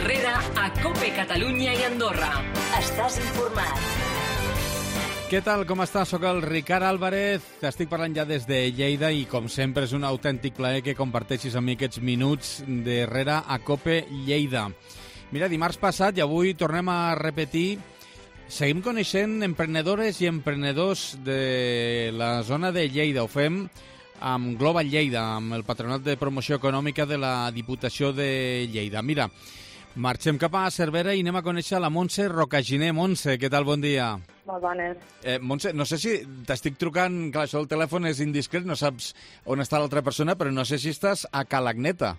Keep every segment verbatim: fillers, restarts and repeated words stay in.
Herrera a COPE Catalunya i Andorra. Estàs informat. Què tal, com estàs? Soc el Ricard Álvarez, t'estic parlant ja des de Lleida i com sempre és un autèntic plaer que comparteixis amb mi aquests minuts d'Herrera a COPE Lleida. Mira, dimarts passat i avui tornem a repetir, seguim coneixent emprenedores i emprenedors de la zona de Lleida. Ho fem amb Global Lleida, amb el Patronat de Promoció Econòmica de la Diputació de Lleida. Mira, marxem cap a Cervera i anem a conèixer la Montse Rocaginer. Montse, què tal? Bon dia. Molt bones. Eh, Montse, no sé si t'estic trucant, clar, això el telèfon és indiscret, no saps on està l'altra persona, però no sé si estàs a Calagneta.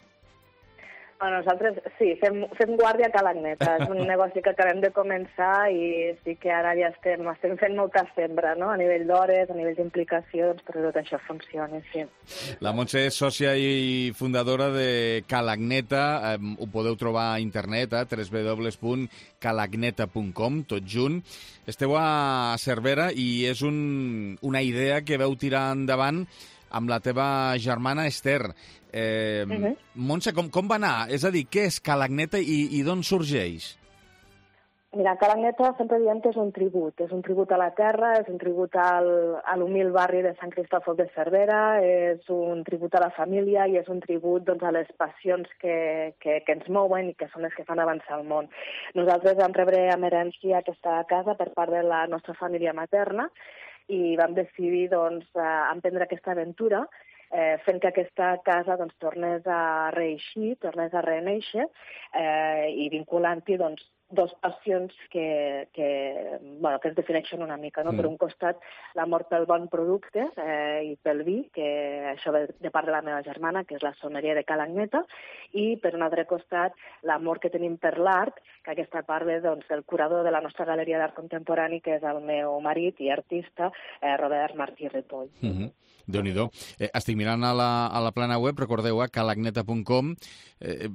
Bueno, nosaltres sí, fem, fem guàrdia a Calagneta. És un negoci que acabem de començar i sí que ara ja estem, estem fent molta sembra, no? A nivell d'hores, a nivell d'implicació, doncs perquè tot això funcioni, sí. La Montse és sòcia i fundadora de Calagneta. Eh, ho podeu trobar a internet, a w w w punt calagneta punt com, tot junt. Esteu a Cervera i és un, una idea que veu tirar endavant amb la teva germana Esther. Eh, uh -huh. Montse, com, com va anar? És a dir, què és Calagneta i, i d'on sorgeix? Mira, Calagneta sempre diem que és un tribut. És un tribut a la terra, és un tribut al, a l'humil barri de Sant Cristòfol de Cervera, és un tribut a la família i és un tribut doncs, a les passions que, que, que ens mouen i que són les que fan avançar el món. Nosaltres vam rebre amb herència aquesta casa per part de la nostra família materna i vam decidir doncs, emprendre aquesta aventura eh, fent que aquesta casa doncs, tornés a reeixir, tornés a renéixer eh, i vinculant-hi doncs, dos passions que, que, bueno, que es defineixen una mica. No? Mm. Per un costat, l'amor pel bon producte eh, i pel vi, que això ve de part de la meva germana, que és la soneria de Calagneta, i per un altre costat, l'amor que tenim per l'art, que aquesta part ve doncs, del curador de la nostra galeria d'art contemporani, que és el meu marit i artista, eh, Robert Martí Ripoll. Mm -hmm. Déu-n'hi-do. Eh, estic mirant a la, a la plana web, recordeu, a calagneta punt com, eh,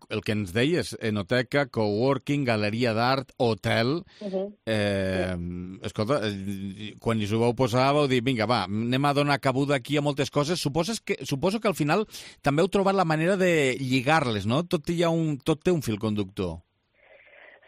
el que ens deies, enoteca, coworking, galeria d'art, hotel. Uh -huh. eh, sí. Escolta, quan us ho vau posar, vau dir, vinga, va, anem a donar cabuda aquí a moltes coses. Suposes que, suposo que al final també heu trobat la manera de lligar-les, no? Tot, hi ha un, tot té un fil conductor.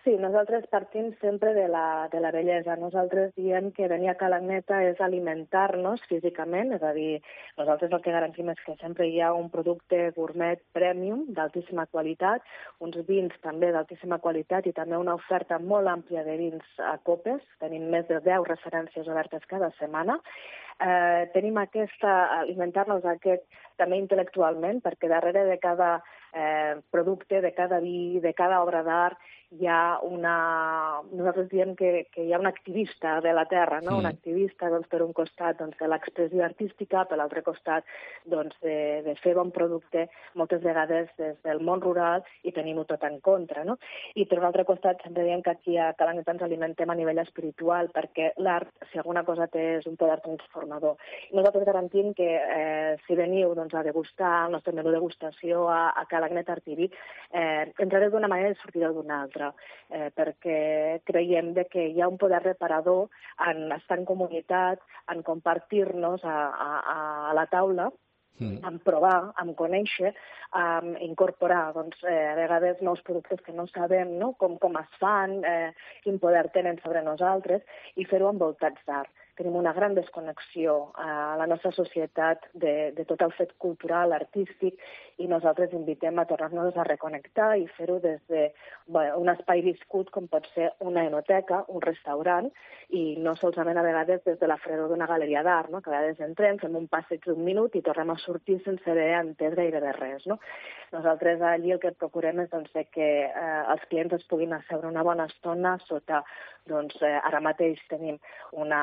Sí, nosaltres partim sempre de la, de la bellesa. Nosaltres diem que venir a Calagneta és alimentar-nos físicament, és a dir, nosaltres el que garantim és que sempre hi ha un producte gourmet premium d'altíssima qualitat, uns vins també d'altíssima qualitat i també una oferta molt àmplia de vins a copes. Tenim més de deu referències obertes cada setmana. Eh, tenim aquesta, alimentar-nos aquest també intel·lectualment, perquè darrere de cada eh, producte, de cada vi, de cada obra d'art, hi ha una... Nosaltres diem que, que hi ha un activista de la terra, no? Mm. Un activista, doncs, per un costat, doncs, de l'expressió artística, per l'altre costat, doncs, de, de fer bon producte, moltes vegades des del món rural, i tenim-ho tot en contra, no? I per l'altre costat, sempre diem que aquí a Calagneta ens alimentem a nivell espiritual, perquè l'art, si alguna cosa té, és un poder transformador. I nosaltres garantim que eh, si veniu doncs, a degustar el nostre menú degustació a, a Calagneta Artivi, eh, entrareu d'una manera i sortireu d'una altra, eh, perquè creiem de que hi ha un poder reparador en estar en comunitat, en compartir-nos a, a, a la taula, Mm. en provar, en conèixer, en incorporar doncs, eh, a vegades nous productes que no sabem no? com, com es fan, eh, quin poder tenen sobre nosaltres, i fer-ho envoltats d'art. Tenim una gran desconnexió a la nostra societat de, de tot el fet cultural, artístic, i nosaltres invitem a tornar-nos a reconnectar i fer-ho des de bueno, un espai viscut com pot ser una enoteca, un restaurant, i no solament a vegades des de la fredor d'una galeria d'art, no? Que a vegades entrem, fem un passeig d'un minut i tornem a sortir sense haver entès gairebé res. No? Nosaltres allí el que procurem és doncs, que eh, els clients es puguin asseure una bona estona sota, doncs, eh, ara mateix tenim una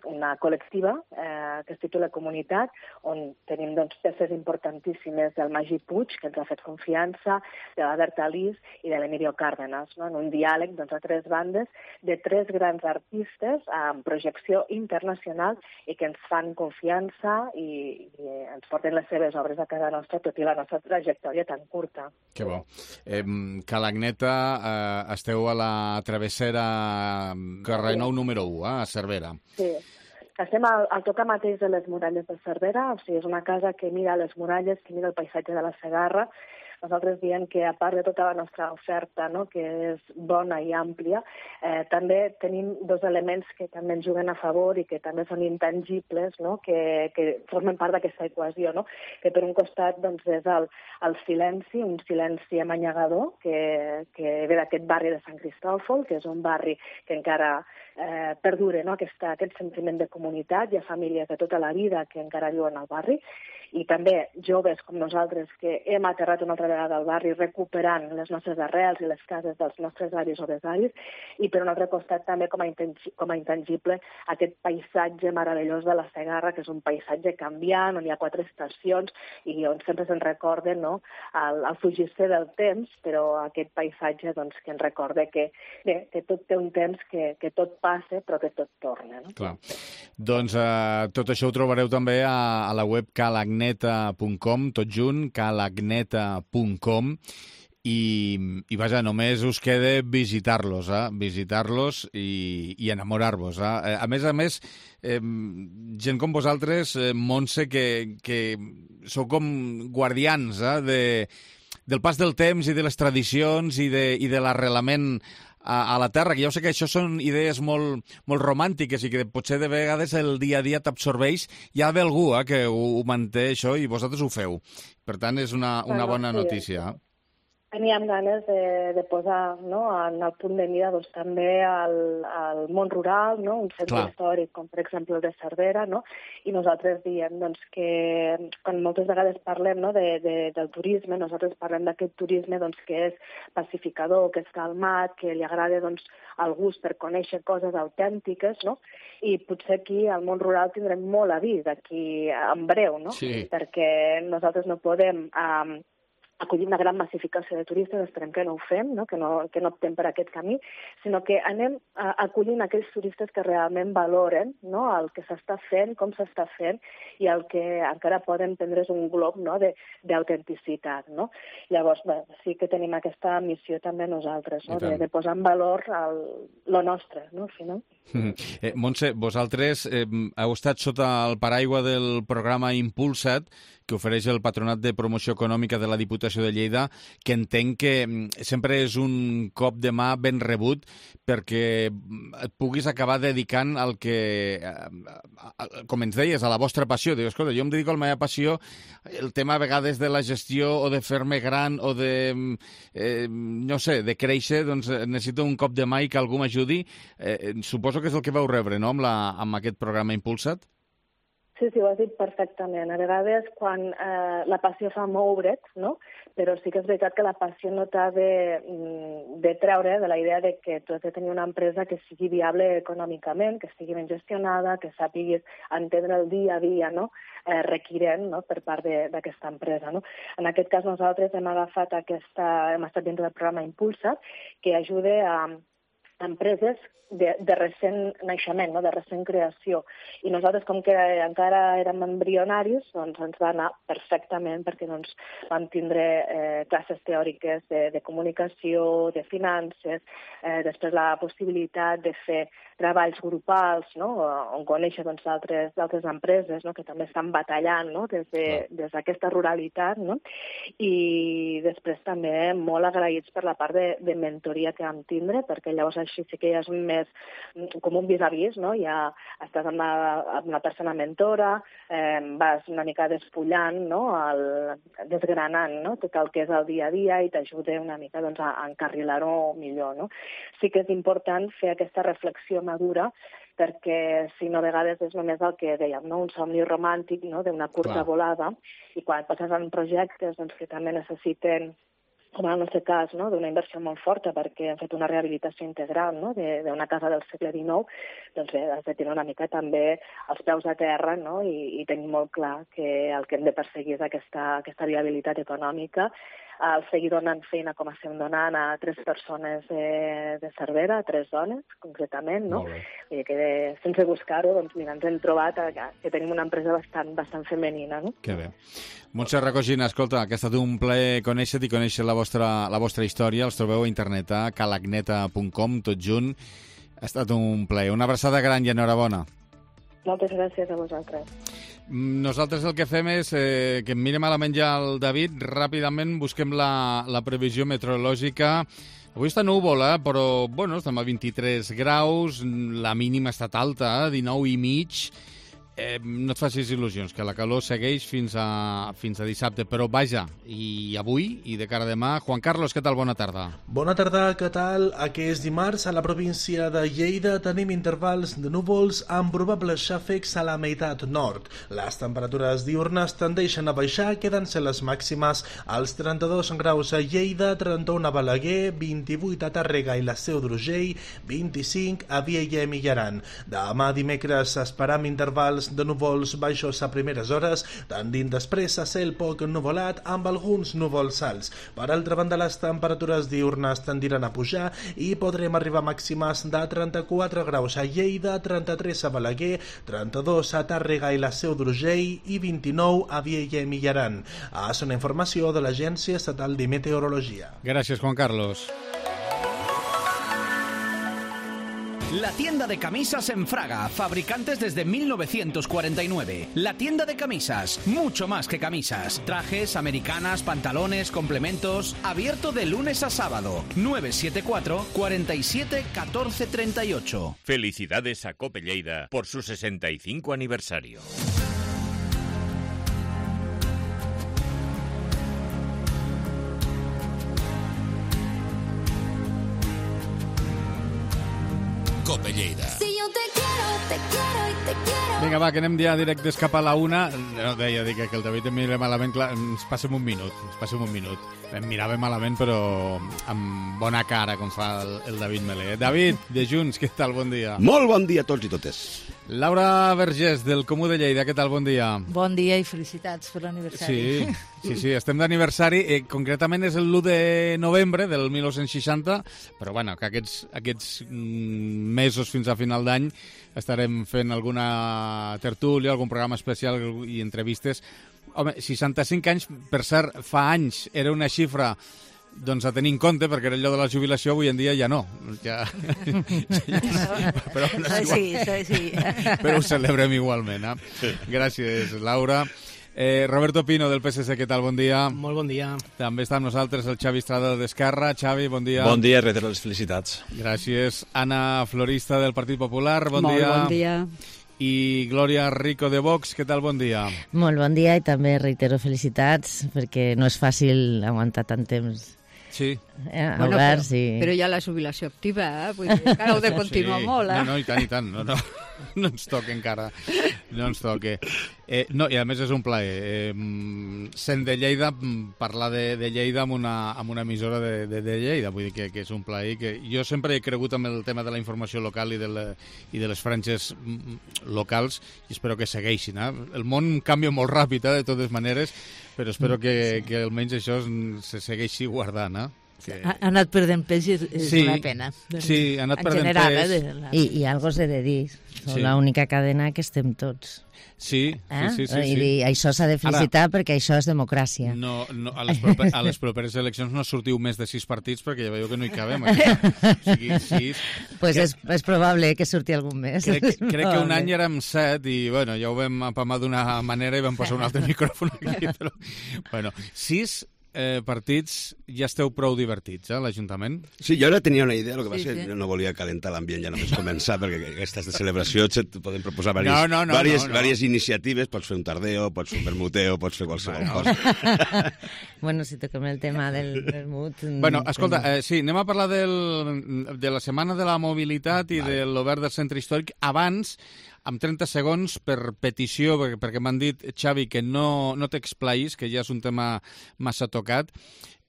una col·lectiva eh, que es titula Comunitat, on tenim doncs, peces importantíssimes del Magí Puig, que ens ha fet confiança, de la Berta Lis i de l'Emilio Cárdenas, no? En un diàleg doncs, a tres bandes de tres grans artistes amb projecció internacional i que ens fan confiança i, i ens porten les seves obres a casa nostra, tot i la nostra trajectòria tan curta. Que bo. Eh, Calagneta, eh, esteu a la travessera carrer Nou número u, eh, a Cervera. Sí. Estem al, al tocar mateix de les muralles de Cervera, o sigui, és una casa que mira les muralles, que mira el paisatge de la Segarra, nosaltres diem que a part de tota la nostra oferta, no?, que és bona i àmplia, eh, també tenim dos elements que també ens juguen a favor i que també són intangibles, no?, que, que formen part d'aquesta equació, no?, que per un costat doncs, és el, el silenci, un silenci amanyagador que, que ve d'aquest barri de Sant Cristòfol, que és un barri que encara eh, perdura, no?, Aquesta, aquest sentiment de comunitat. Hi ha famílies de tota la vida que encara viuen al barri, i també joves com nosaltres que hem aterrat una altra vegada al barri recuperant les nostres arrels i les cases dels nostres avis o besavis, i per un altre costat també com a, intangi com a intangible aquest paisatge meravellós de la Segarra, que és un paisatge canviant, on hi ha quatre estacions i on sempre se'n recorda, no?, el, el fugir-se del temps, però aquest paisatge doncs, que ens recorda que, bé, que tot té un temps, que, que tot passa, però que tot torna. No? Clar. Doncs eh, tot això ho trobareu també a, a la web calagneta punt com, tot junt, calagneta punt com, i, i vaja, només us queda visitar-los, eh? visitar-los i, i enamorar-vos. Eh? A més a més, eh, gent com vosaltres, eh, Montse, que, que sou com guardians eh? de, del pas del temps i de les tradicions i de, i de l'arrelament a, a la terra, que jo sé que això són idees molt, molt romàntiques i que potser de vegades el dia a dia t'absorbeix. Hi ha algú eh, que ho, ho manté això i vosaltres ho feu. Per tant, és una, una bona notícia. Teníem ganes de, de posar, no?, en el punt de mira doncs, també al, al món rural, no?, un centre Clar. històric com per exemple el de Cervera, no?, i nosaltres diem doncs, que quan moltes vegades parlem, no?, de, de, del turisme, nosaltres parlem d'aquest turisme doncs, que és pacificador, que és calmat, que li agrada doncs, el gust per conèixer coses autèntiques, no?, i potser aquí al món rural tindrem molt a dir d'aquí en breu, no?, sí. perquè nosaltres no podem Um, acollir una gran massificació de turistes, esperem que no ho fem, no? Que, no, que no optem per aquest camí, sinó que anem uh, acollint aquells turistes que realment valoren, no?, el que s'està fent, com s'està fent, i el que encara poden prendre's un glob, no?, d'autenticitat. No? Llavors, bé, sí que tenim aquesta missió també nosaltres, no?, de, de posar en valor el, lo nostre, no?, al final. Mm. Eh, Montse, vosaltres eh, heu estat sota el paraigua del programa Impulsa't, que ofereix el Patronat de Promoció Econòmica de la Diputació de Lleida, que entenc que sempre és un cop de mà ben rebut perquè et puguis acabar dedicant al que, com ens deies, a la vostra passió. Dius, escolta, jo em dedico a la meva passió, el tema a vegades de la gestió o de fer-me gran o de, eh, no sé, de créixer, doncs necessito un cop de mà i que algú m'ajudi. Eh, suposo que és el que vau rebre, no?, amb, la, amb aquest programa Impulsa't? Sí, sí, ho has dit perfectament. A vegades, quan eh, la passió fa moure't, no?, però sí que és veritat que la passió no t'ha de, de treure de la idea de que tu has de tenir una empresa que sigui viable econòmicament, que estigui ben gestionada, que sàpiguis entendre el dia a dia, no?, eh, requirent, no?, per part d'aquesta empresa. No? En aquest cas, nosaltres hem agafat aquesta, hem estat dins del programa Impulsa't, que ajuda a empreses de, de recent naixement, no? de recent creació. I nosaltres, com que encara érem embrionaris, doncs ens va anar perfectament perquè doncs, vam tindre eh, classes teòriques de, de comunicació, de finances, eh, després la possibilitat de fer treballs grupals, no? on conèixer doncs, altres, altres empreses no? que també estan batallant no? des d'aquesta de, ruralitat. No? I després també molt agraïts per la part de, de mentoria que vam tindre, perquè llavors així sí que ja és més com un vis-a-vis, no? Ja estàs amb una, amb una persona mentora, eh, vas una mica despullant, no? el, desgranant no? tot el que és el dia a dia i t'ajuda una mica doncs, a, a encarrilar-ho millor. No? Sí que és important fer aquesta reflexió madura perquè si no a vegades és només el que dèiem, no? un somni romàntic no? d'una curta Clar. volada i quan passes en projectes doncs, que també necessiten com en el nostre cas, no? d'una inversió molt forta perquè hem fet una rehabilitació integral no? d'una casa del segle dinou, doncs bé, has de tenir una mica també els peus a terra no? I, i tenir molt clar que el que hem de perseguir és aquesta, aquesta viabilitat econòmica, el seguir donant feina com estem donant a tres persones de, de Cervera, a tres dones, concretament, no? I que de, sense buscar-ho, doncs mira, ens hem trobat que, que tenim una empresa bastant, bastant femenina, no? Que bé. Montse Racogina, escolta, que ha estat un plaer conèixer-te i conèixer la vostra, la vostra història. Els trobeu a internet a calagneta punt com, tot junt. Ha estat un plaer. Una abraçada gran i enhorabona. Moltes gràcies a vosaltres. Nosaltres el que fem és eh, que em mire malament ja el David, ràpidament busquem la, la previsió meteorològica. Avui està núvol, eh? Però bueno, estem a vint-i-tres graus, la mínima ha estat alta, eh? dinou i mig. Eh, no et facis il·lusions, que la calor segueix fins a, fins a dissabte, però vaja, i avui i de cara a demà. Juan Carlos, què tal? Bona tarda. Bona tarda, què tal? Aquest dimarts a la província de Lleida tenim intervals de núvols amb probables xàfecs a la meitat nord. Les temperatures diurnes tendeixen a baixar, quedant-se les màximes als trenta-dos graus a Lleida, trenta-un a Balaguer, vint-i-vuit a Tàrrega i la Seu d'Urgell, vint-i-cinc a Vielha i Aran. Demà dimecres esperam intervals de núvols baixos a primeres hores, tendint després a cel poc nuvolat amb alguns núvols alts. Per altra banda, les temperatures diurnes tendiran a pujar i podrem arribar a màximes de trenta-quatre graus a Lleida, trenta-tres a Balaguer, trenta-dos a Tàrrega i la Seu d'Urgell i vint-i-nou a Vielha i Aran. És una informació de l'Agència Estatal de Meteorologia. Gràcies, Juan Carlos. La tienda de camisas en Fraga, fabricantes desde mil novecientos cuarenta y nueve. La tienda de camisas, mucho más que camisas. Trajes, americanas, pantalones, complementos. Abierto de lunes a sábado. nueve siete cuatro, cuatro siete, uno cuatro tres ocho. Felicidades a Cope Lleida por su sesenta y cinco aniversario. Cope Lleida. Si yo te quiero, te quiero y te quiero. Vinga, va, que anem ja directes cap a la una. No, deia, dic que el David em mira malament, clar, ens passem un minut, ens passem un minut. Em mirava malament, però amb bona cara, com fa el, el David Melé. David, de Junts, què tal? Bon dia. Molt bon dia a tots i totes. Laura Vergés, del Comú de Lleida, què tal? Bon dia. Bon dia i felicitats per l'aniversari. Sí, sí, sí, estem d'aniversari. Eh, concretament és l'u de novembre del mil nou-cents seixanta, però bueno, que aquests, aquests mm, mesos fins a final d'any estarem fent alguna tertúlia, algun programa especial i entrevistes. Home, seixanta-cinc anys, per cert, fa anys era una xifra doncs a tenir en compte, perquè era allò de la jubilació, avui en dia ja no. Ja... però, no sí, sí, sí. però ho celebrem igualment. Eh? Gràcies, Laura. Eh, Roberto Pino, del P S C, què tal? Bon dia. Molt bon dia. També està amb nosaltres el Xavi Estrada d'Esquerra. Xavi, bon dia. Bon dia, reitero les felicitats. Gràcies. Anna Florista, del Partit Popular, bon Molt dia. Molt bon dia. I Glòria Rico, de Vox, què tal? Bon dia. Molt bon dia i també reitero felicitats, perquè no és fàcil aguantar tant temps. Sí. Eh, bueno, oberts però, i... però hi ha la jubilació activa, eh? Vull dir, encara heu de continuar sí. molt, eh? No, no, i tant, i tant. No, no, no ens toca encara. No ens toca. Eh, no, i a més és un plaer. Eh, sent de Lleida, parlar de, de Lleida amb una, amb una emissora de, de, de Lleida. Vull dir que, que és un plaer. Que jo sempre he cregut amb el tema de la informació local i de, la, i de les franges locals i espero que segueixin. Eh? El món canvia molt ràpid, eh, de totes maneres, però espero que, que almenys això se segueixi guardant, eh? Que... Ha, ha anat perdent pes i és sí, una pena. Sí, ha anat en perdent general, pes. Eh, la... I, I algo s'ha de dir. Som Sí. l'única cadena que estem tots. Sí, Eh? sí, sí, sí, I sí. dir, això s'ha de felicitar. Ara, perquè això és democràcia. No, no, a, les proper, a les properes eleccions no sortiu més de sis partits perquè ja veieu que no hi cabem. Aquí. O sigui, sis... Pues que, és, és probable que surti algun més. crec, crec que un any érem set i bueno, ja ho vam apamar d'una manera i vam posar un altre micròfon aquí. Però, bueno, sis eh, partits ja esteu prou divertits, eh, l'Ajuntament? Sí, jo ara tenia una idea, el que Sí, passa és sí. que no volia calentar l'ambient ja només començar, perquè aquestes de celebració et poden proposar diverses, No, no, no, diverses, no, no. diverses iniciatives, pots fer un tardeo, pots fer un vermuteo, pots fer qualsevol cosa. Bueno, si toquem el tema del vermut... Bueno, escolta, eh, sí, anem a parlar del, de la Setmana de la Mobilitat i Vale. de l'Obert del Centre Històric. Abans, amb trenta segons, per petició, perquè, perquè m'han dit, Xavi, que no, no t'explaïs, que ja és un tema massa tocat,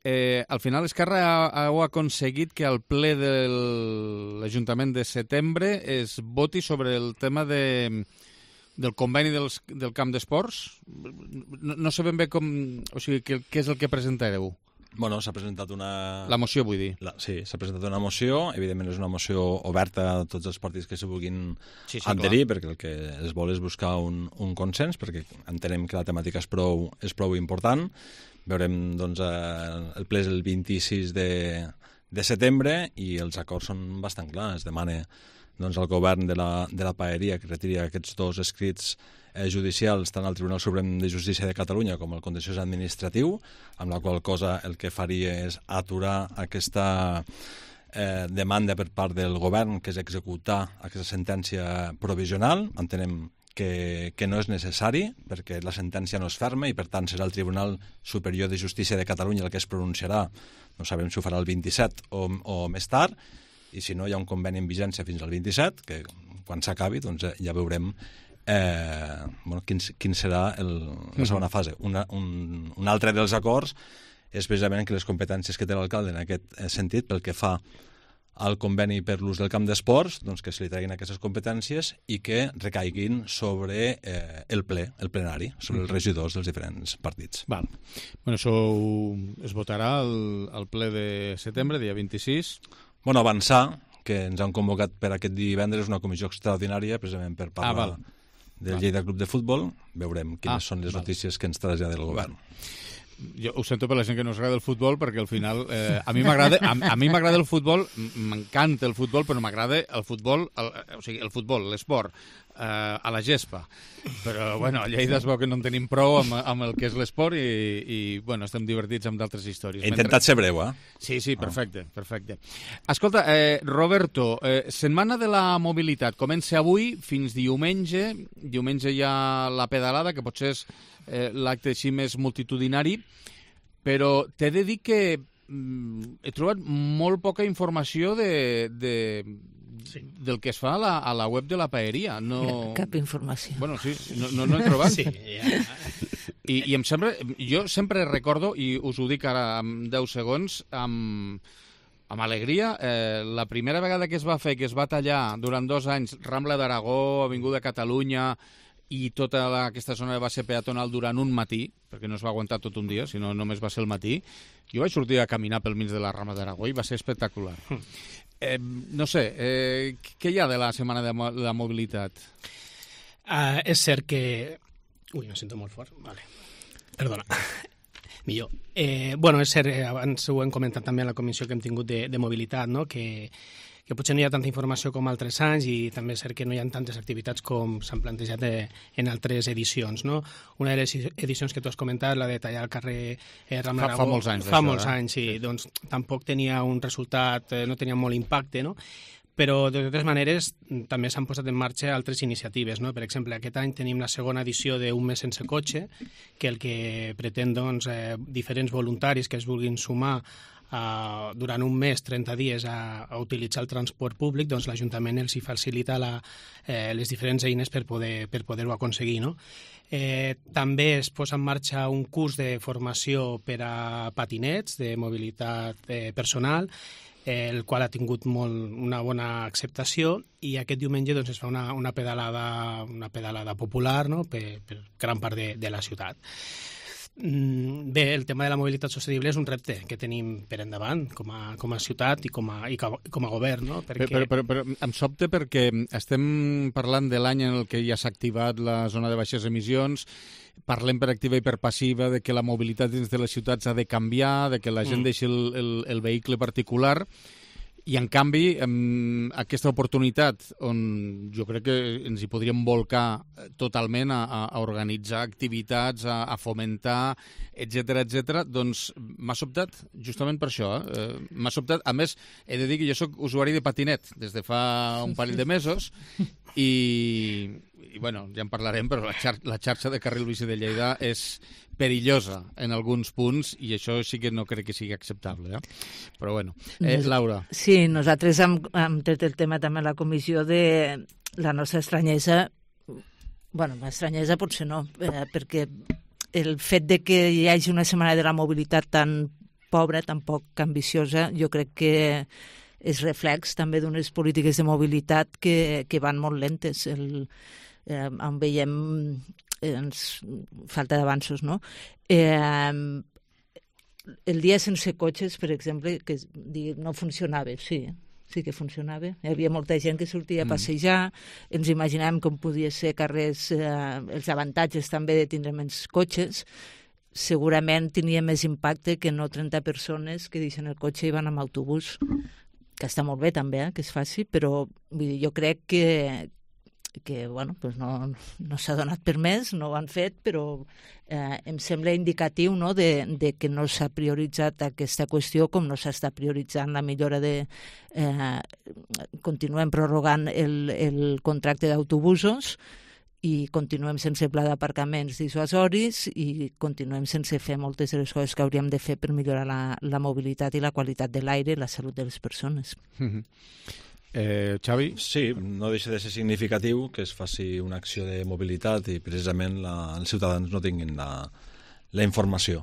eh, al final Esquerra ha, heu aconseguit que al ple de l'Ajuntament de setembre es voti sobre el tema de... del conveni dels, del camp d'esports. No, no sé ben bé com... O sigui, què, què és el que presentareu? Bueno, s'ha presentat una... La moció, vull dir. La, sí, s'ha presentat una moció, evidentment és una moció oberta a tots els partits que s'hi vulguin Sí, sí, adherir, perquè el que es vol és buscar un, un consens, perquè entenem que la temàtica és prou, és prou important. Veurem, doncs, eh, el ple és el vint-i-sis de, de setembre i els acords són bastant clars. Es demana doncs, el govern de la, de la Paeria que retiri aquests dos escrits eh, judicials tant al Tribunal Suprem de Justícia de Catalunya com al Contenciós Administratiu, amb la qual cosa el que faria és aturar aquesta eh, demanda per part del govern, que és executar aquesta sentència provisional. Entenem que, que no és necessari, perquè la sentència no és ferma i, per tant, serà el Tribunal Superior de Justícia de Catalunya el que es pronunciarà. No sabem si ho farà el vint-i-set o, o més tard, i si no, hi ha un conveni en vigència fins al vint-i-set, que quan s'acabi doncs, ja veurem eh, bueno, quin, quin serà el, la segona fase. Una, un, un altre dels acords és precisament que les competències que té l'alcalde en aquest sentit, pel que fa al conveni per l'ús del camp d'esports, doncs que se li treguin aquestes competències i que recaiguin sobre eh, el ple, el plenari, sobre els regidors dels diferents partits. Val. Bueno, això es votarà al, al ple de setembre, dia vint-i-sis. Bueno, avançar, que ens han convocat per aquest divendres una comissió extraordinària, precisament per parlar ah, del Lleida Club de Futbol. Veurem quines ah, són les val. notícies que ens trasllada el govern. Jo ho sento per la gent que no us agrada el futbol, perquè al final eh, a mi m'agrada a, a mi m'agrada el futbol, m'encanta el futbol, però m'agrada el futbol, el, o sigui, el futbol, l'esport, eh, a la gespa. Però, bueno, a Lleida es veu que no en tenim prou amb, amb el que és l'esport i, i, bueno, estem divertits amb d'altres històries. He intentat ser breu, eh? Sí, sí, perfecte, perfecte. Escolta, eh, Roberto, eh, Setmana de la Mobilitat comença avui fins diumenge. Diumenge hi ha la pedalada, que potser és eh, l'acte així més multitudinari, però t'he de dir que mm, he trobat molt poca informació de, de, sí. del que es fa a la, a la web de la Paeria. No... Cap informació. Bueno, sí, no, no, no he trobat. Sí, ja. I, I em sembla... Jo sempre recordo, i us ho dic ara en deu segons, amb, amb alegria, eh, la primera vegada que es va fer, que es va tallar durant dos anys Rambla d'Aragó, Avinguda Catalunya i tota la, aquesta zona va ser peatonal durant un matí, perquè no es va aguantar tot un dia, sinó només va ser el matí. Jo vaig sortir a caminar pel mig de la Rambla d'Aragó i va ser espectacular. Mm. Eh, no sé, eh, què hi ha de la Setmana de la Mobilitat? Uh, és cert que... Ui, me sento molt fort. Vale. Perdona. Millor. Eh, bueno, és cert, abans ho hem comentat també a la comissió que hem tingut de, de mobilitat, no? que, que potser no hi ha tanta informació com altres anys i també és cert que no hi ha tantes activitats com s'han plantejat de, en altres edicions. No? Una de les edicions que tu has comentat, la de tallar el carrer eh, Rambla D'Aragó... Fa, fa molts anys, Fa això, molts eh? anys, sí. Doncs tampoc tenia un resultat, eh, no tenia molt impacte, no? Però, de totes maneres, també s'han posat en marxa altres iniciatives. No? Per exemple, aquest any tenim la segona edició d'Un mes sense cotxe, que el que pretén, doncs, eh, diferents voluntaris que es vulguin sumar Uh, durant un mes, trenta dies, a, a utilitzar el transport públic, doncs l'Ajuntament els hi facilita la, eh, les diferents eines per poder per poder-ho aconseguir. No? Eh, també es posa en marxa un curs de formació per a patinets, de mobilitat eh, personal, eh, el qual ha tingut molt, una bona acceptació, i aquest diumenge doncs, es fa una, una, pedalada, una pedalada popular, no? per, per gran part de, de la ciutat. Bé, el tema de la mobilitat sostenible és un repte que tenim per endavant com a, com a ciutat i com a, i com a govern, no? Perquè... Però, però, però em sobta perquè estem parlant de l'any en el que ja s'ha activat la zona de baixes emissions, parlem per activa i per passiva de que la mobilitat dins de les ciutats ha de canviar, de que la gent mm. deixi el, el, el vehicle particular. I, en canvi, amb aquesta oportunitat, on jo crec que ens hi podríem volcar totalment a, a organitzar activitats, a, a fomentar, etcètera, etcètera, doncs m'ha sobtat justament per això. Eh? M'ha sobtat. A més, he de dir que jo soc usuari de patinet des de fa un parell de mesos i, i bueno, ja en parlarem, però la, xar la xarxa de carril bici de Lleida és perillosa en alguns punts i això sí que no crec que sigui acceptable. Eh? Però bueno, eh, Laura. Sí, nosaltres hem, hem tret el tema també a la comissió de la nostra estranyesa. Bueno, estranyesa potser no, eh, perquè el fet de que hi hagi una setmana de la mobilitat tan pobra, tan poc ambiciosa, jo crec que és reflex també d'unes polítiques de mobilitat que, que van molt lentes. El, eh, en veiem ens falta d'avanços, no? Eh, el dia sense cotxes, per exemple, que no funcionava, sí, sí que funcionava. Hi havia molta gent que sortia a passejar, mm. ens imaginàvem com podia ser carrers, eh, els avantatges també de tindre menys cotxes, segurament tenia més impacte que no trenta persones que deixen el cotxe i van amb autobús, que està molt bé també, eh, que es faci, però vull dir, jo crec que, que bueno, pues no, no s'ha donat per més, no ho han fet, però eh, em sembla indicatiu, no, de, de que no s'ha prioritzat aquesta qüestió com no s'està prioritzant la millora de... Eh, continuem prorrogant el, el contracte d'autobusos i continuem sense pla d'aparcaments dissuasoris i continuem sense fer moltes de les coses que hauríem de fer per millorar la, la mobilitat i la qualitat de l'aire i la salut de les persones. Mm-hmm. Eh, Xavi? Sí, no deixa de ser significatiu que es faci una acció de mobilitat i precisament la, els ciutadans no tinguin la, la informació.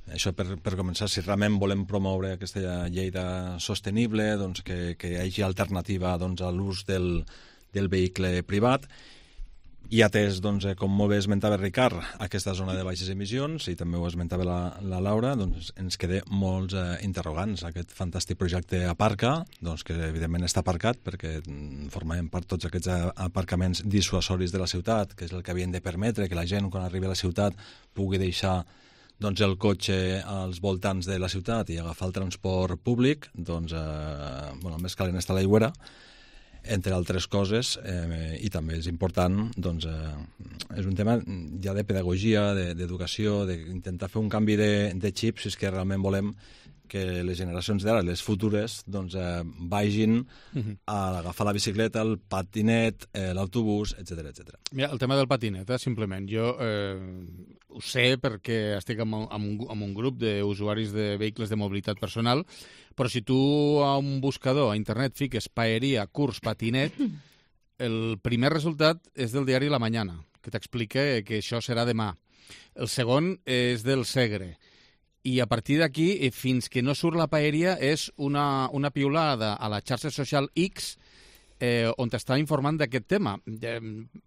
Això per, per començar, si realment volem promoure aquesta Lleida sostenible, doncs que, que hi hagi alternativa doncs, a l'ús del, del vehicle privat, i atès, doncs, com molt bé esmentava Ricard, aquesta zona de baixes emissions, i també ho esmentava la, la Laura, doncs ens queda molts eh, interrogants. Aquest fantàstic projecte Aparca, doncs, que evidentment està aparcat perquè formem part tots aquests aparcaments dissuasoris de la ciutat, que és el que havien de permetre que la gent, quan arribi a la ciutat, pugui deixar doncs, el cotxe als voltants de la ciutat i agafar el transport públic, doncs, eh, bueno, més calent està l'aigüera, entre altres coses, eh, i també és important, doncs, eh, és un tema ja de pedagogia, d'educació, de, d'intentar fer un canvi de, de xip, si és que realment volem que les generacions d'ara, les futures, doncs, eh, vagin uh-huh. a agafar la bicicleta, el patinet, eh, l'autobús, etcètera, etcètera. Mira, el tema del patinet, eh, simplement. Jo eh, ho sé perquè estic en, en, un, en un grup d'usuaris de vehicles de mobilitat personal, però si tu a un buscador a internet fiques paeria, curs, patinet, el primer resultat és del diari La Mañana, que t'explica que això serà demà. El segon és del Segre. I a partir d'aquí, fins que no surt la paeria, és una, una piulada a la xarxa social X eh, on t'està informant d'aquest tema. Eh,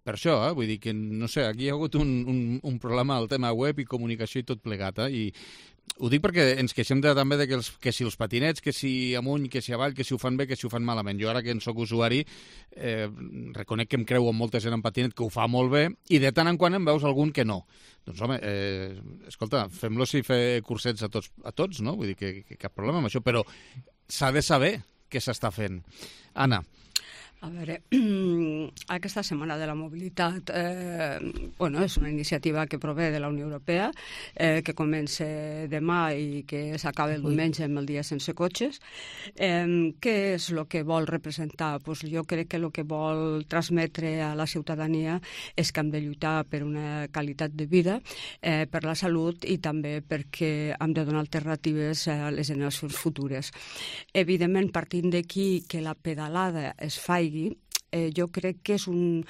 per això, eh, vull dir que, no sé, aquí hi ha hagut un, un, un problema al tema web i comunicació i tot plegat, eh, i ho dic perquè ens queixem de, també de que, els, que si els patinets, que si amunt, que si avall, que si ho fan bé, que si ho fan malament. Jo ara que en soc usuari eh, reconec que em creu amb molta gent en patinet que ho fa molt bé i de tant en quant em veus algun que no. Doncs home, eh, escolta, fem-los i fer cursets a tots, a tots, no? Vull dir que, que cap problema amb això, però s'ha de saber què s'està fent. Anna. A veure, aquesta Setmana de la Mobilitat eh, bueno, és una iniciativa que prové de la Unió Europea, eh, que comença demà i que s'acaba el diumenge amb el dia sense cotxes. Eh, què és el que vol representar? Pues jo crec que el que vol transmetre a la ciutadania és que hem de lluitar per una qualitat de vida, eh, per la salut i també perquè hem de donar alternatives a les generacions futures. Evidentment, partint d'aquí que la pedalada es faci, Eh, jo crec que és un,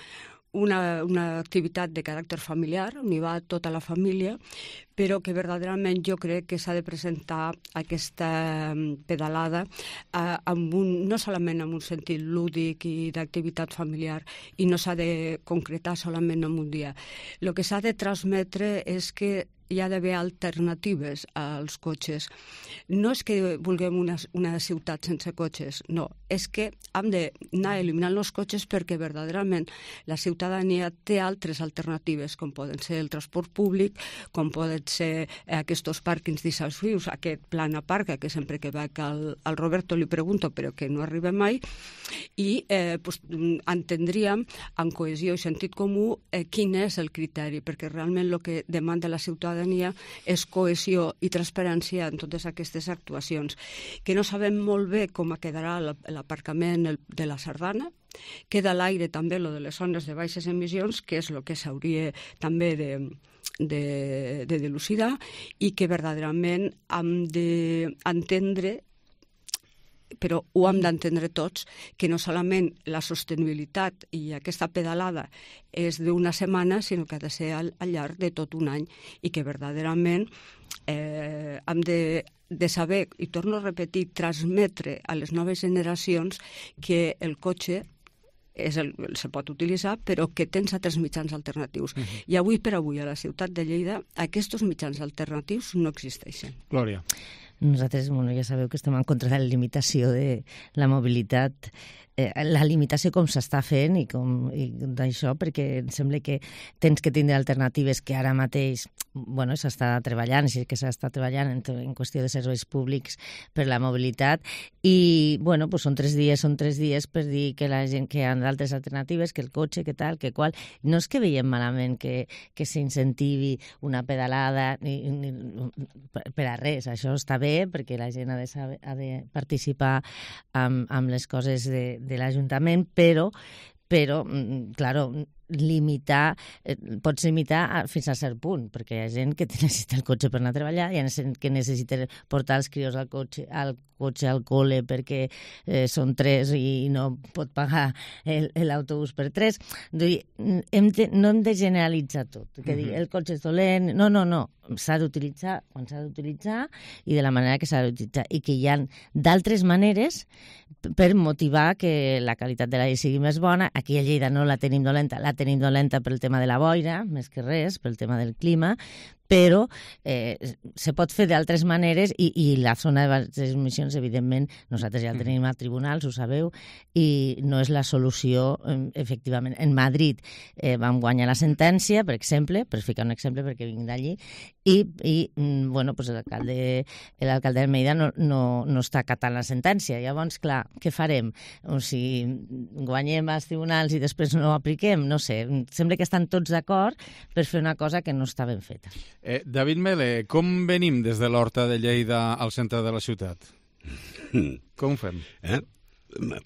una, una activitat de caràcter familiar, on hi va tota la família, però que verdaderament jo crec que s'ha de presentar aquesta pedalada eh, amb un, no solament amb un sentit lúdic i d'activitat familiar, i no s'ha de concretar solament en un dia. El que s'ha de transmetre és que hi ha d'haver alternatives als cotxes. No és que vulguem una, una ciutat sense cotxes, no. És que hem d'anar eliminant els cotxes perquè verdaderament la ciutadania té altres alternatives, com poden ser el transport públic, com poden ser aquests pàrquings dissuasius, aquest plan Aparca, que sempre que veig al, al Roberto li pregunto, però que no arriba mai, i eh, pues, entendríem amb cohesió i sentit comú eh, quin és el criteri, perquè realment el que demanda la ciutadania és cohesió i transparència en totes aquestes actuacions, que no sabem molt bé com quedarà l'aparcament de la Sardana. Queda a l'aire també lo de les zones de baixes emissions, que és el que s'hauria també de, de, de dilucidar, i que verdaderament hem d'entendre, però ho hem d'entendre tots, que no solament la sostenibilitat i aquesta pedalada és d'una setmana, sinó que ha de ser al, al llarg de tot un any, i que verdaderament eh, hem de, de saber, i torno a repetir, transmetre a les noves generacions que el cotxe és el, se pot utilitzar, però que tens altres mitjans alternatius. Uh-huh. I avui per avui a la ciutat de Lleida aquests mitjans alternatius no existeixen. Glòria. Nosaltres, bueno, ja sabeu que estem en contra de la limitació de la mobilitat eh, la limitació com s'està fent i com i d'això, perquè em sembla que tens que tindre alternatives que ara mateix bueno, s'està treballant, sí que s'està treballant en, en qüestió de serveis públics per la mobilitat i, bueno, pues són tres dies, són tres dies per dir que la gent que hi ha d'altres alternatives, que el cotxe, que tal, que qual. No és que veiem malament que, que s'incentivi una pedalada ni, ni, per a res, això està bé perquè la gent ha de, saber, ha de participar amb, amb les coses de, de l'Ajuntament, però, però, claro, limitar, eh, pots limitar fins a cert punt, perquè hi ha gent que necessita el cotxe per anar a treballar, hi ha gent que necessita portar els crios al cotxe al, cotxe al col·le perquè eh, són tres i no pot pagar l'autobús per tres. Hem de, no hem de generalitzar tot, que uh-huh. dir, el cotxe és dolent, no, no, no, s'ha d'utilitzar quan s'ha d'utilitzar i de la manera que s'ha d'utilitzar i que hi ha d'altres maneres per motivar que la qualitat de l'aire sigui més bona. Aquí a Lleida no la tenim dolenta, la tenim dolenta pel tema de la boira, més que res, pel tema del clima, però eh, se pot fer d'altres maneres i, i la zona de baixes emissions, evidentment, nosaltres ja la tenim a tribunals, ho sabeu, i no és la solució, efectivament. En Madrid eh, vam guanyar la sentència, per exemple, per ficar un exemple perquè vinc d'allí, i, i bueno, pues l'alcalde l'alcalde d'Almeida no, no, no està acatant la sentència. Llavors, clar, què farem? O sigui, guanyem als tribunals i després no ho apliquem? No sé, sembla que estan tots d'acord per fer una cosa que no està ben feta. Eh, David Mele, com venim des de l'Horta de Lleida al centre de la ciutat? Com ho fem? Eh?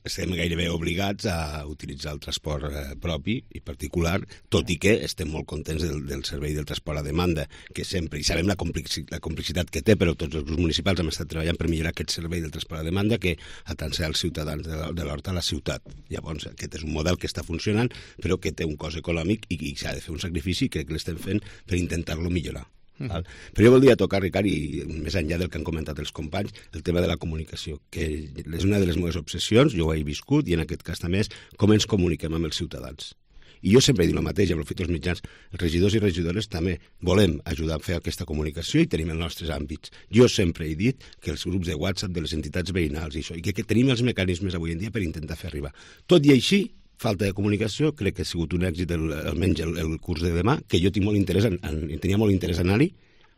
Estem gairebé obligats a utilitzar el transport eh, propi i particular, tot i que estem molt contents del, del servei del transport a demanda, que sempre, i sabem la, complexi, la complexitat que té, però tots els grups municipals hem estat treballant per millorar aquest servei del transport a demanda que atansar els ciutadans de l'Horta a la ciutat. Llavors, aquest és un model que està funcionant, però que té un cost econòmic i, i s'ha de fer un sacrifici, crec que l'estem fent per intentar-lo millorar. Uh -huh. Però jo voldria tocar, Ricard, i més enllà del que han comentat els companys, el tema de la comunicació, que és una de les meves obsessions, jo ho he viscut, i en aquest cas també és com ens comuniquem amb els ciutadans. I jo sempre dic el mateix, aprofito els mitjans, els regidors i regidores també volem ajudar a fer aquesta comunicació i tenim els nostres àmbits. Jo sempre he dit que els grups de WhatsApp de les entitats veïnals i això, i que, que tenim els mecanismes avui en dia per intentar fer arribar. Tot i així, falta de comunicació, crec que ha sigut un èxit el, almenys el, el curs de demà, que jo tinc molt interès en, en, tenia molt interès en anar-hi,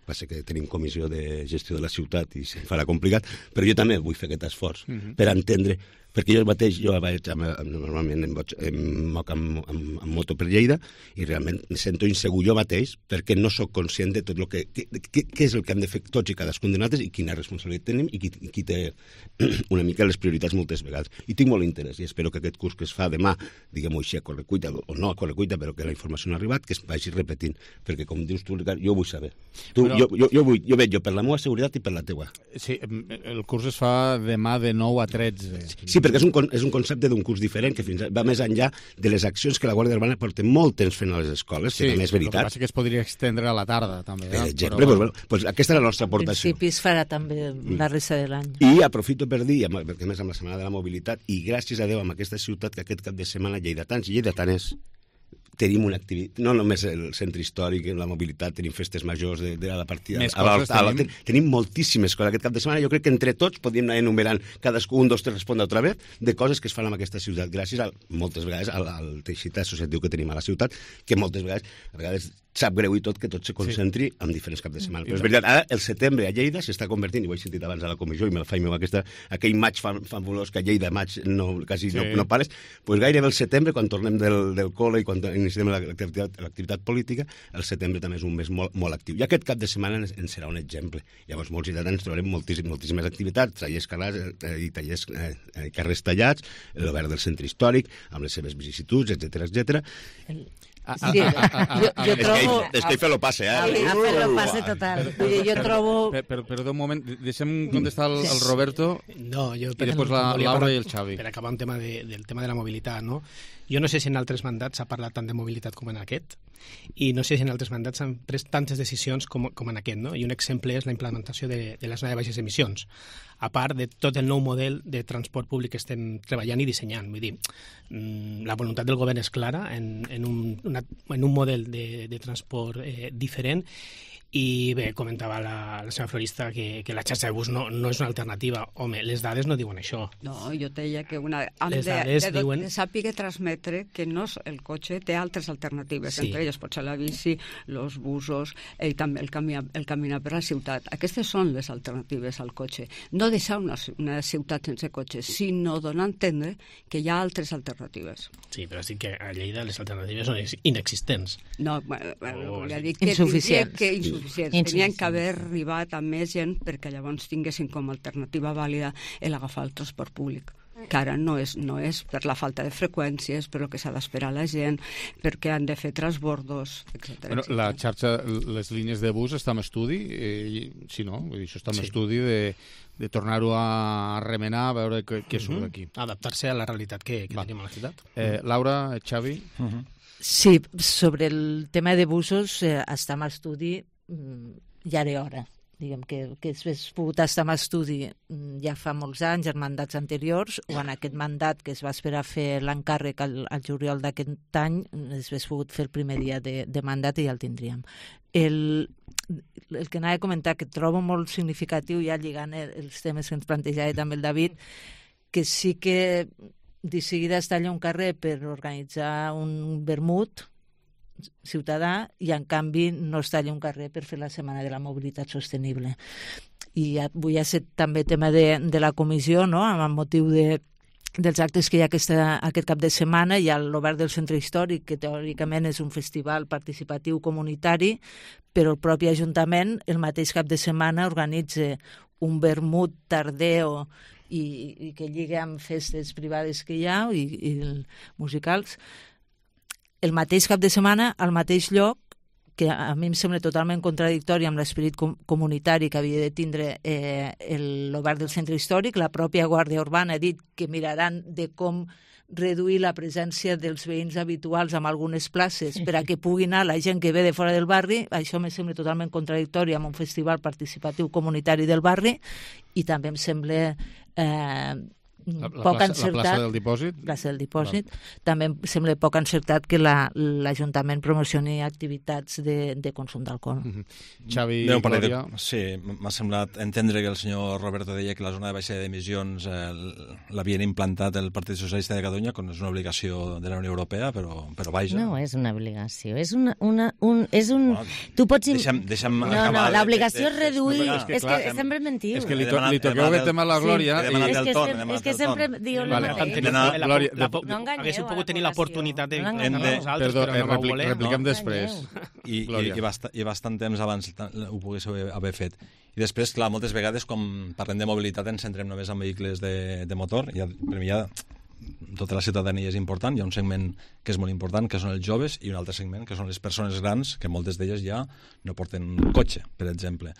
va ser que tenim comissió de gestió de la ciutat i se'n farà complicat, però jo també vull fer aquest esforç uh-huh. per entendre, perquè jo mateix, jo vaig, normalment em, boig, em moc amb, amb, amb moto per Lleida i realment em sento insegur jo mateix perquè no sóc conscient de tot el que, què és el que hem de fer tots i cadascun de nosaltres i quina responsabilitat tenim i qui, qui té una mica les prioritats moltes vegades. I tinc molt interès i espero que aquest curs que es fa demà, diguem-ho així, a correcuita, o no a correcuita, però que la informació no ha arribat, que es vagi repetint, perquè com dius tu, Ricard, jo vull saber. Tu, però... jo, jo, jo, vull, jo veig jo per la meva seguretat i per la teua. Sí, el curs es fa demà de nou a tretze. Sí, perquè és un, és un concepte d'un curs diferent que fins va més enllà de les accions que la Guàrdia Urbana porta molt temps fent a les escoles, sí, que també és veritat. El que passa que es podria extendre a la tarda, també. Per exemple, però... pues, pues, aquesta és la nostra aportació. En principi es farà també la resta de l'any. I aprofito per dir, perquè més amb la Setmana de la Mobilitat, i gràcies a Déu amb aquesta ciutat, que aquest cap de setmana lleidatans i lleidatanes tenim una activitat, no només el centre històric, la mobilitat, tenim festes majors de, de la partida. Més coses a la, tenim. Tenim moltíssimes coses aquest cap de setmana. Jo crec que entre tots podríem anar enumerant cadascú, un, dos, tres, respondre otra vez, de coses que es fan en aquesta ciutat, gràcies a, moltes vegades al, al teixit associatiu que tenim a la ciutat, que moltes vegades, a vegades sap greu i tot que tot se concentri sí. en diferents caps de setmana. Però és veritat, ara el setembre a Lleida s'està convertint, i ho he sentit abans a la comissió, i me la faig meu aquesta, aquell maig fabulós que a Lleida maig no, quasi sí. no, no pares, doncs gairebé el setembre, quan tornem del, del col·le i quan iniciem l'activitat, l'activitat política, el setembre també és un mes molt, molt actiu. I aquest cap de setmana ens, ens serà un exemple. Llavors, molts ciutadans trobarem moltíssim, moltíssimes activitats, tallers calats eh, i tallers eh, carrers tallats, l'obert del centre històric, amb les seves vicissituds, etcètera, etcètera. Sí, jo, jo trobo... És que ell lo passe, eh? A fer lo passe total. Vull dir, jo trobo... Però, però d'un moment, deixem contestar el, el Roberto no, jo, i després la Laura i el Xavi. Per acabar un tema de, del tema de la mobilitat, no? Jo no sé si en altres mandats s'ha parlat tant de mobilitat com en aquest, i no sé si en altres mandats s'han pres tantes decisions com, com en aquest, no? I un exemple és la implementació de, de la zona de baixes emissions, a part de tot el nou model de transport públic que estem treballant i dissenyant. Vull dir, la voluntat del govern és clara en, en, un, una, en un model de, de transport eh, diferent, I bé, comentava la, la seva florista que, que la xarxa de bus no, no és una alternativa. Home, les dades no diuen això. No, jo deia que una, han les de, dades de, diuen... de sàpiga transmetre que no és el cotxe té altres alternatives, sí. Entre elles pot ser la bici, els busos i també el, camí, el caminar per la ciutat. Aquestes són les alternatives al cotxe. No deixar una, una ciutat sense cotxe, sinó donar a entendre que hi ha altres alternatives. Sí, però sí que a Lleida les alternatives són inexistents. No, bueno, oh, volia sí. dir que, insuficients. que insuficients. Tenien que haver arribat a més gent perquè llavors tinguessin com a alternativa vàlida l'agafar el transport públic, que ara no és, no és per la falta de freqüències, per el que s'ha d'esperar la gent, perquè han de fer transbordos, etcètera. Bueno, la xarxa, les línies de bus està en estudi, eh, si no, vull dir, això està en sí. estudi de, de tornar-ho a remenar, a veure què, què surt d'aquí. Adaptar-se a la realitat que, que tenim a la ciutat. Eh, Laura, Xavi? Uh -huh. Sí, sobre el tema de busos eh, està en estudi ja era hora. Diguem que, que s'hagués pogut estar en estudi ja fa molts anys, en mandats anteriors, o en aquest mandat que es va esperar fer l'encàrrec al, al juliol d'aquest any, es hagués pogut fer el primer dia de, de mandat i ja el tindríem. El, el que anava a comentar, que trobo molt significatiu, ja lligant els temes que ens plantejava també el David, que sí que de seguida es talla un carrer per organitzar un vermut ciutadà i en canvi no es talla un carrer per fer la setmana de la mobilitat sostenible. I avui ha estat també tema de, de la comissió, no?, amb motiu de, dels actes que hi ha aquesta, aquest cap de setmana. Hi ha l'Obert del Centre Històric, que teòricament és un festival participatiu comunitari, però el propi Ajuntament el mateix cap de setmana organitza un vermut tardeo i, i que lliga amb festes privades que hi ha i, i musicals el mateix cap de setmana al mateix lloc, que a mi em sembla totalment contradictori amb l'esperit com comunitari que havia de tindre eh, l'Obert del Centre Històric. La pròpia Guàrdia Urbana ha dit que miraran de com reduir la presència dels veïns habituals en algunes places per a que pugui anar la gent que ve de fora del barri. Això em sembla totalment contradictori amb un festival participatiu comunitari del barri i també em sembla eh, la, la poc plaça, encertat. La plaça del dipòsit? Plaça del dipòsit. Val. També em sembla poc encertat que l'Ajuntament la, promocioni activitats de, de consum d'alcohol. Mm -hmm. Xavi, Déu, Glòria... De, sí, m'ha semblat entendre que el senyor Roberto deia que la zona de baixada d'emissions eh, l'havien implantat el Partit Socialista de Catalunya, quan és una obligació de la Unió Europea, però, però vaja. No és una obligació, és una... una un, és un... Bueno, tu pots... Deixa'm, deixa'm no, acabar... no, l'obligació és reduir... No, és que, és que, és que sempre mentiu. És que li, to li toqueu aquest tema a la Glòria... Sí. I... És que, sem és que sempre diu el vale. mateix. No, no, Glòria, la, la, no haguéssiu pogut tenir l'oportunitat de... No de nosaltres, Perdó, però no eh, vau repli voler. repliquem no? després. I, i, i, bast i bastant temps abans ho poguéssiu haver fet. I després, clar, moltes vegades, quan parlem de mobilitat, ens centrem només en vehicles de, de motor. Ja, per mi ja tota la ciutadania és important. Hi ha un segment que és molt important, que són els joves, i un altre segment, que són les persones grans, que moltes d'elles ja no porten cotxe, per exemple.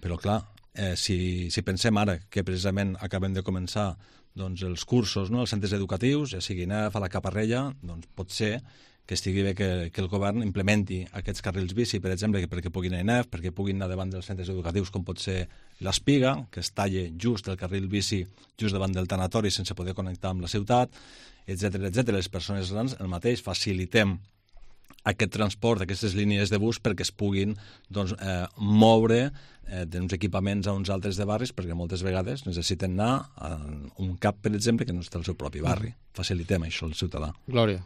Però, clar, eh, si, si pensem ara que precisament acabem de començar doncs, els cursos, no?, els centres educatius, ja sigui N E F, a la Caparrella, doncs pot ser que estigui bé que, que el govern implementi aquests carrils bici, per exemple, perquè puguin anar a N E F, perquè puguin anar davant dels centres educatius, com pot ser l'Espiga, que es talle just el carril bici just davant del tanatori sense poder connectar amb la ciutat, etcètera, etcètera. Les persones grans, el mateix, facilitem aquest transport, aquestes línies de bus, perquè es puguin doncs, eh, moure eh, d'uns equipaments a uns altres de barris, perquè moltes vegades necessiten anar a un cap, per exemple, que no està al seu propi barri. Mm. Facilitem això al ciutadà. Glòria.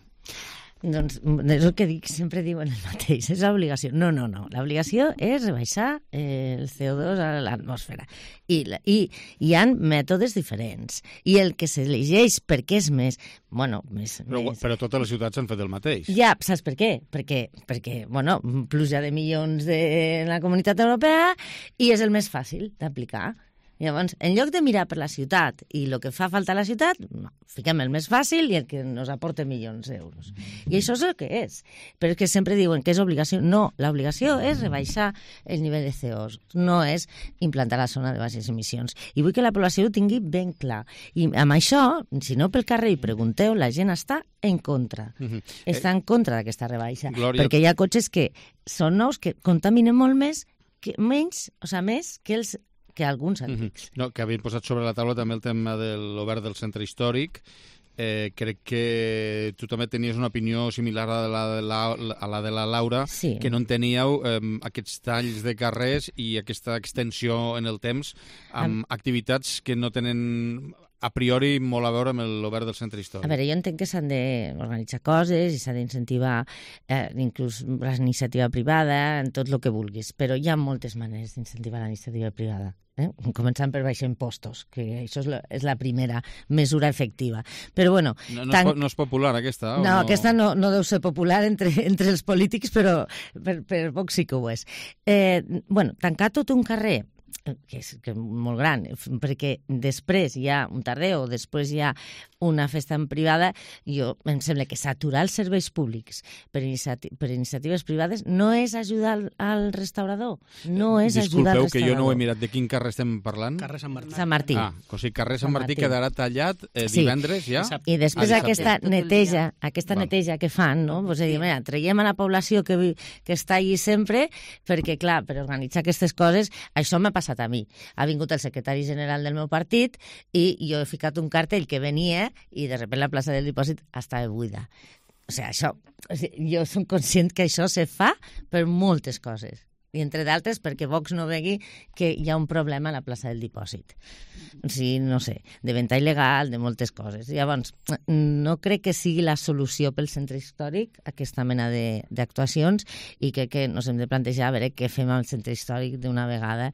Doncs és el que dic, sempre diuen el mateix, és l'obligació. No, no, no, l'obligació és rebaixar el C O dos a l'atmosfera. I, i hi ha mètodes diferents. I el que s'elegeix perquè és més... Bueno, més, però, més... però totes les ciutats han fet el mateix. Ja, saps per què? Perquè, perquè bueno, pluja de milions de la Comunitat Europea i és el més fàcil d'aplicar. Llavors, en lloc de mirar per la ciutat i el que fa falta a la ciutat, no, fiquem el més fàcil i el que ens aporta milions d'euros. I això és el que és. Però és que sempre diuen que és obligació. No, l'obligació és rebaixar el nivell de C O dos, no és implantar la zona de baixes emissions. I vull que la població ho tingui ben clar. I amb això, si no pel carrer i pregunteu, la gent està en contra. Mm-hmm. Està en contra d'aquesta rebaixa. Glòria... Perquè hi ha cotxes que són nous, que contaminen molt més, que menys, o sigui, més que els que alguns antics. Mm-hmm. No, que havien posat sobre la taula també el tema de l'Obert del Centre Històric, eh, crec que tu també tenies una opinió similar a la de la, a la, de la Laura, sí. que no enteníeu eh, aquests talls de carrers i aquesta extensió en el temps amb um, activitats que no tenen a priori molt a veure amb l'obert del centre històric. A veure, jo entenc que s'han d'organitzar coses i s'ha d'incentivar eh, inclús la iniciativa privada, en tot el que vulguis, però hi ha moltes maneres d'incentivar la iniciativa privada. Eh? Començant per baixar impostos, que això és la, és la primera mesura efectiva. Però bueno... No, no, tan... és, no és popular, aquesta? No, no, aquesta no, no deu ser popular entre, entre els polítics, però per, per Vox sí que ho és. Eh, bueno, tancar tot un carrer, que és, que és molt gran, perquè després hi ha un tarder o després hi ha una festa en privada, jo em sembla que saturar els serveis públics per, iniciati per iniciatives privades no és ajudar al, al restaurador, no és Disculpeu, ajudar al restaurador. que jo no ho he mirat. De quin carrer estem parlant? Carrer Sant Martí. Sant Martí. Ah, o sigui, carrer Sant, Sant Martí, Martí quedarà tallat eh, sí. divendres ja? I després ah, aquesta neteja, aquesta Val. neteja que fan, no? Pues, dir, mira, traiem a la població que, que està allí sempre, perquè, clar, per organitzar aquestes coses, això m'ha passat a mi. Ha vingut el secretari general del meu partit i jo he ficat un cartell que venia i de sobte la plaça del Dipòsit estava buida. O sigui, això, jo som conscient que això se fa per moltes coses. I entre d'altres perquè Vox no vegui que hi ha un problema a la plaça del Dipòsit. O sigui, no sé, de venda il·legal, de moltes coses. Llavors, no crec que sigui la solució pel centre històric aquesta mena d'actuacions i crec que ens hem de plantejar a veure què fem al centre històric d'una vegada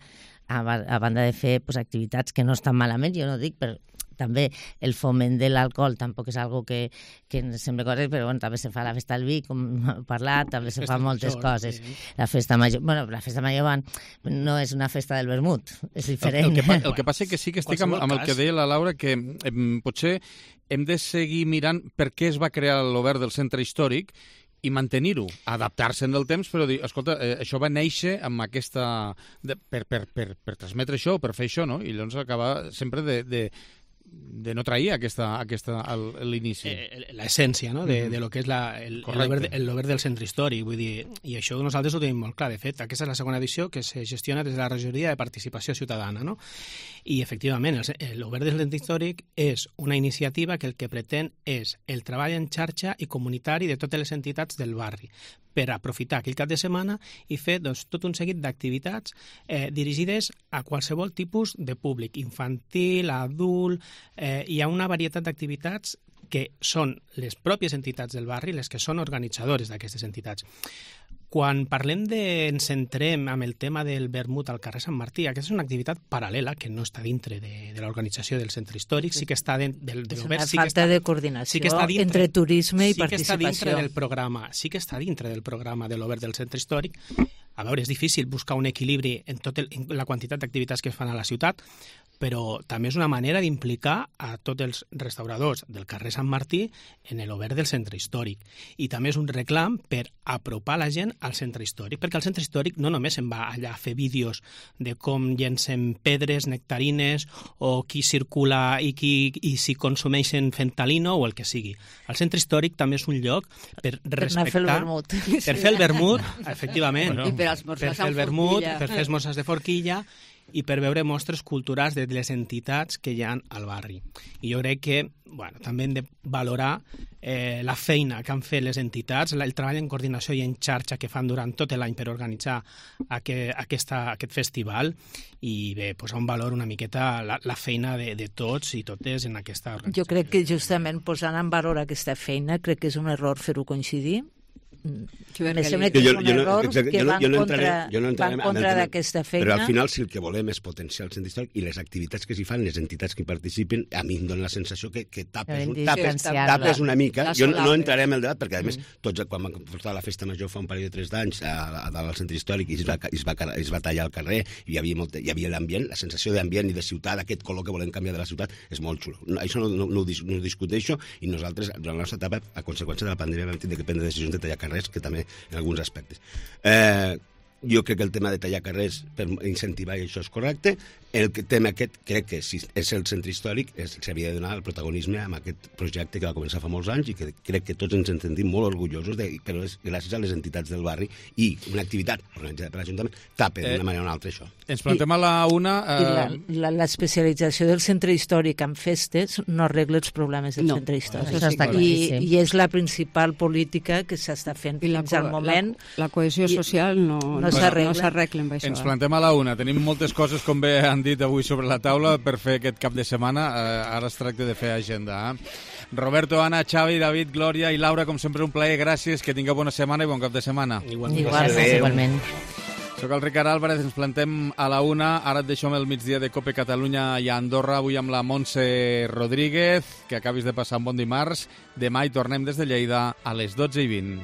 a, a banda de fer pues, activitats que no estan malament, jo no dic, però també el foment de l'alcohol tampoc és algo que, que ens sembla correcte, però bueno, també se fa la festa del vi, com hem parlat, també se fa moltes coses. Sí. La festa major, bueno, la festa major van, no és una festa del vermut, és diferent. El, el, que, el que passa és que sí que estic amb, amb el que deia la Laura, que eh, potser hem de seguir mirant per què es va crear l'obert del centre històric i mantenir-ho, adaptar-se en el temps, però dir, escolta, eh, això va néixer amb aquesta... De, per, per, per, per transmetre això, per fer això, no? I llavors acaba sempre de... de de no trair aquesta, aquesta l'inici. Eh, L'essència, no?, de, de lo que és l'obert del centre històric, vull dir, i això nosaltres ho tenim molt clar. De fet, aquesta és la segona edició que se gestiona des de la regidoria de participació ciutadana, no? I, efectivament, l'obert del centre històric és una iniciativa que el que pretén és el treball en xarxa i comunitari de totes les entitats del barri, per aprofitar aquell cap de setmana i fer doncs, tot un seguit d'activitats eh, dirigides a qualsevol tipus de públic, infantil, adult, eh, hi ha una varietat d'activitats que són les pròpies entitats del barri les que són organitzadores d'aquestes entitats. Quan parlem de, ens centrem amb el tema del vermut al carrer Sant Martí, aquesta és una activitat paral·lela que no està dintre de, de l'organització del centre històric, sí que està de, del, de és l'obert. una Sí falta està, de coordinació sí que està dintre, entre turisme i sí participació. Que està dintre del programa, sí que està dintre del programa de l'obert del centre històric. A veure, és difícil buscar un equilibri en, tot el, en la quantitat d'activitats que es fan a la ciutat, però també és una manera d'implicar a tots els restauradors del carrer Sant Martí en l'obert del centre històric. I també és un reclam per apropar la gent al centre històric, perquè al centre històric no només se'n va allà a fer vídeos de com llencen pedres, nectarines, o qui circula i, qui, i si consumeixen fentalino o el que sigui. El centre històric també és un lloc per respectar... Per anar a fer el vermut. Per fer el vermut, efectivament. Bueno, I per esmorzar per fer el vermut, per fer esmorzars de forquilla i per veure mostres culturals de les entitats que hi ha al barri. I jo crec que bueno, també hem de valorar eh, la feina que han fet les entitats, el treball en coordinació i en xarxa que fan durant tot l'any per organitzar aquest, aquesta, aquest festival i bé, posar un valor una miqueta la, la feina de, de tots i totes en aquesta organització. Jo crec que justament posant en valor aquesta feina crec que és un error fer-ho coincidir. Me sembla que és un error que va en contra, contra d'aquesta feina. Però al final si el que volem és potenciar el centre històric i les activitats que s'hi fan, les entitats que hi participen, a mi em dona la sensació que, que tapes, tapes, tapes una mica. Jo no, no entraré en el debat perquè, a més, tots, quan vam portar la festa major fa un parell de tres d'anys a, a dalt al centre històric i es va, es, va, es va tallar al carrer i hi havia, molt, hi havia l'ambient, la sensació d'ambient i de ciutat, aquest color que volem canviar de la ciutat, és molt xulo. No, això no, no, no, ho, no ho discuteixo i nosaltres, durant la nostra etapa, a conseqüència de la pandèmia, vam tenir que prendre decisions de tallar carrers, que també en alguns aspectes. Eh, jo crec que el tema de tallar carrers per incentivar i això és correcte. El tema aquest, crec que si és el centre històric, s'havia de donar el protagonisme amb aquest projecte que va començar fa molts anys i que crec que tots ens en sentim molt orgullosos, de, però és gràcies a les entitats del barri i una activitat organitzada per l'Ajuntament tapa d'una manera o una altra això. Ens plantem a la una... Eh... L'especialització del centre històric en festes no arregla els problemes del no, centre històric. Això està I, I és la principal política que s'està fent I la, fins al moment. La, la cohesió social no, no, no s'arregla amb això. Ens plantem a la una. Tenim moltes coses, com bé han dit avui sobre la taula, per fer aquest cap de setmana. Eh, ara es tracta de fer agenda. Eh? Roberto, Anna, Xavi, David, Glòria i Laura, com sempre, un plaer. Gràcies, que tingueu bona setmana i bon cap de setmana. Igualment. Igualment. Igualment. Soc el Ricard Álvarez, ens plantem a la una. Ara et deixo amb el migdia de Cope Catalunya i a Andorra, avui amb la Montse Rodríguez. Que acabis de passar un bon dimarts. Demà hi tornem des de Lleida a les dotze i vint.